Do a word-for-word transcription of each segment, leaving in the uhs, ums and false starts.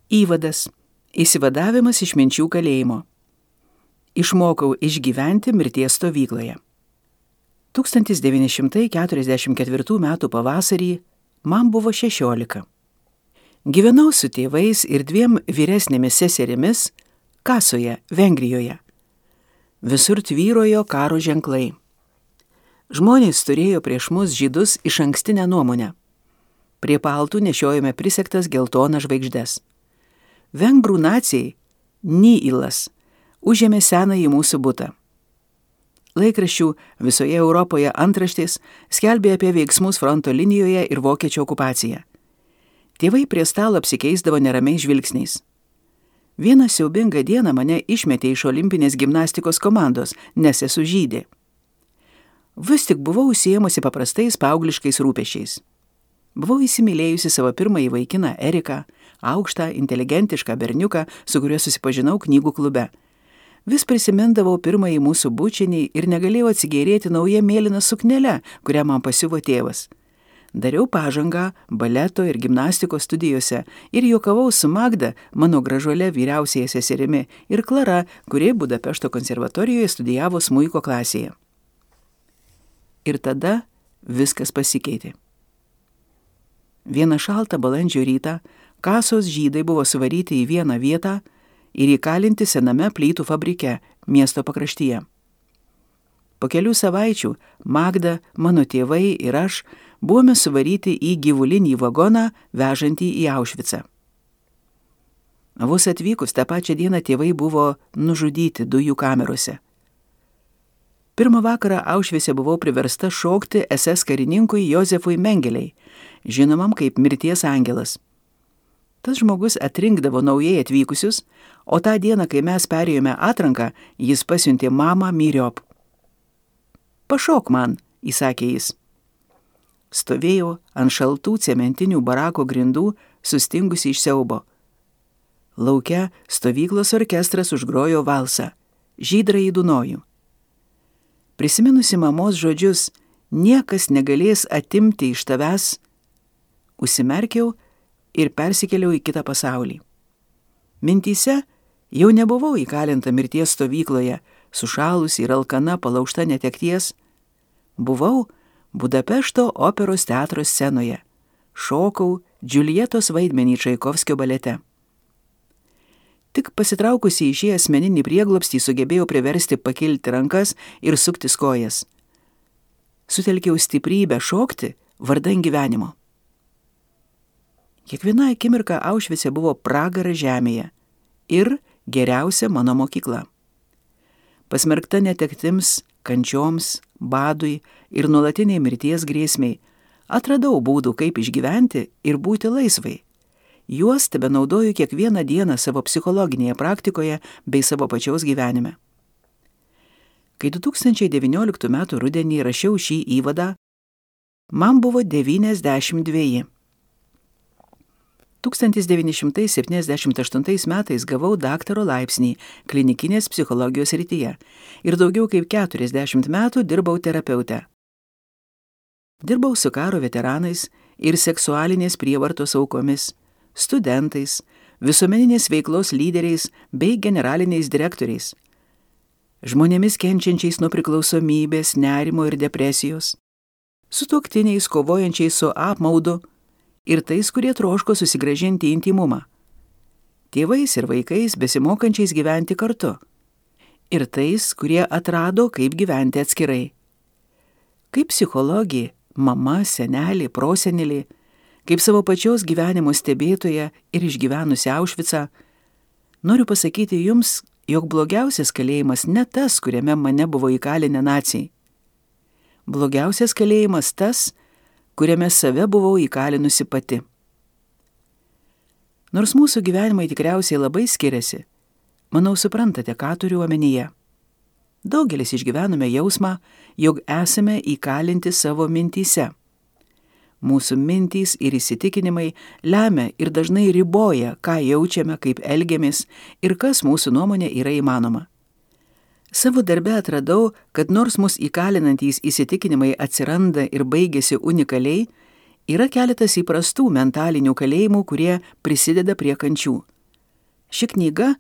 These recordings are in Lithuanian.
Įvadas. Įsivadavimas iš minčių kalėjimo. Išmokau išgyventi mirties stovykloje. tūkstantis devyni šimtai keturiasdešimt ketvirtų metų pavasarį man buvo šešiolika. Gyvenau su tėvais ir dviem vyresnėmis seserimis Kasoje, Vengrijoje. Visur tvyrojo karo ženklai. Žmonės turėjo prieš mus žydus iš ankstinę nuomonę. Prie paltų nešiojome prisegtas geltonas žvaigždes. Vengrų nacijai, Nyilas, užėmė senąjį mūsų butą. Laikraščių visoje Europoje antraštės skelbė apie veiksmus fronto linijoje ir vokiečių okupaciją. Tėvai prie stalo apsikeisdavo neramiais žvilgsniais. Vieną siaubingą dieną mane išmetė iš olimpinės gimnastikos komandos, nes esu žydė. Vis tik buvau užsiėmusi paprastais paaugliškais rūpesčiais. Buvau įsimylėjusi savo pirmąjį vaikiną Eriką, aukštą, inteligentišką berniuką, su kuriuo susipažinau knygų klube. Vis prisimindavau pirmąjį mūsų bučinį ir negalėjau atsigėrėti naują mėlyną suknelę, kurią man pasiuvo tėvas. Dariau pažangą baleto ir gimnastikos studijose ir juokavau su Magda, mano gražuole vyriausiaja seserimi, ir Klara, kuri Budapešto konservatorijoje studijavo smuiko klasėje. Ir tada viskas pasikeitė. Vieną šaltą balandžio rytą Kasos žydai buvo suvaryti į vieną vietą ir įkalinti sename plytų fabrike miesto pakraštyje. Po kelių savaičių Magda, mano tėvai ir aš buvome suvaryti į gyvulinį vagoną vežantį į Aušvicą. Vos atvykus tą pačią dieną tėvai buvo nužudyti dujų kamerose. Pirmą vakarą Aušvice buvau priversta šokti S S karininkui Jozefui Mengeliai, žinomam kaip mirties angelas. Tas žmogus atrinkdavo naujai atvykusius, o tą dieną, kai mes perėjome atranką, jis pasiuntė mamą myriop. Pašok man, įsakė jis. Stovėjau ant šaltų cementinių barako grindų, sustingusi iš siaubo. Lauke stovyklos orkestras užgrojo valsą, Žydrąjį Dunojų. Prisiminusi mamos žodžius, niekas negalės atimti iš tavęs, užsimerkiau ir persikėliau į kitą pasaulį. Mintyse jau nebuvau įkalinta mirties stovykloje, sušalusi ir alkana palaužta netekties. Buvau Budapešto operos teatro scenoje. Šokau Džiuljetos vaidmenį Čaikovskio balete. Tik pasitraukusi į šį asmeninį prieglobstį sugebėjau priversti pakilti rankas ir suktis kojas. Sutelkiau stiprybę šokti vardan gyvenimo. Kiekviena akimirka Aušvice buvo pragaras žemėje ir geriausia mano mokykla. Pasmerkta netektims, kančioms, badui ir nuolatiniai mirties grėsmiai, atradau būdų, kaip išgyventi ir būti laisvai. Juos tebenaudoju kiekvieną dieną savo psichologinėje praktikoje bei savo pačiaus gyvenime. Kai du tūkstančiai devynioliktų metų rudenį rašiau šį įvadą, man buvo devyniasdešimt dveji. tūkstantis devyni šimtai septyniasdešimt aštuntais metais gavau daktaro laipsnį klinikinės psichologijos srityje ir daugiau kaip keturiasdešimt metų dirbau terapeute. Dirbau su karo veteranais ir seksualinės prievartos aukomis, studentais, visuomeninės veiklos lyderiais bei generaliniais direktoriais, žmonėmis kenčiančiais nuo priklausomybės, nerimo ir depresijos, sutuoktiniais kovojančiais su apmaudu ir tais, kurie troško susigrąžinti intimumą, tėvais ir vaikais besimokančiais gyventi kartu, ir tais, kurie atrado, kaip gyventi atskirai. Kaip psichologė, mama, senelė, prosenelė, kaip savo pačios gyvenimo stebėtoja ir išgyvenusi Aušvicą, noriu pasakyti jums, jog blogiausias kalėjimas ne tas, kuriame mane buvo įkalinę naciai. Blogiausias kalėjimas tas, kuriame save buvau įkalinusi pati. Nors mūsų gyvenimai tikriausiai labai skiriasi, manau suprantate, ką turiu omenyje. Daugelis išgyvenome jausmą, jog esame įkalinti savo mintyse. Mūsų mintys ir įsitikinimai lemia ir dažnai riboja, ką jaučiame, kaip elgiamės ir kas mūsų nuomonė yra įmanoma. Savo darbe atradau, kad nors mus įkalinantys įsitikinimai atsiranda ir baigėsi unikaliai, yra keletas įprastų mentalinių kalėjimų, kurie prisideda prie kančių. Ši knyga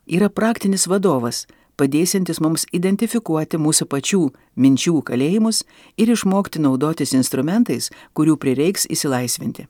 yra praktinis vadovas, padėsiantis mums identifikuoti mūsų pačių minčių kalėjimus ir išmokti naudotis instrumentais, kurių prireiks įsilaisvinti.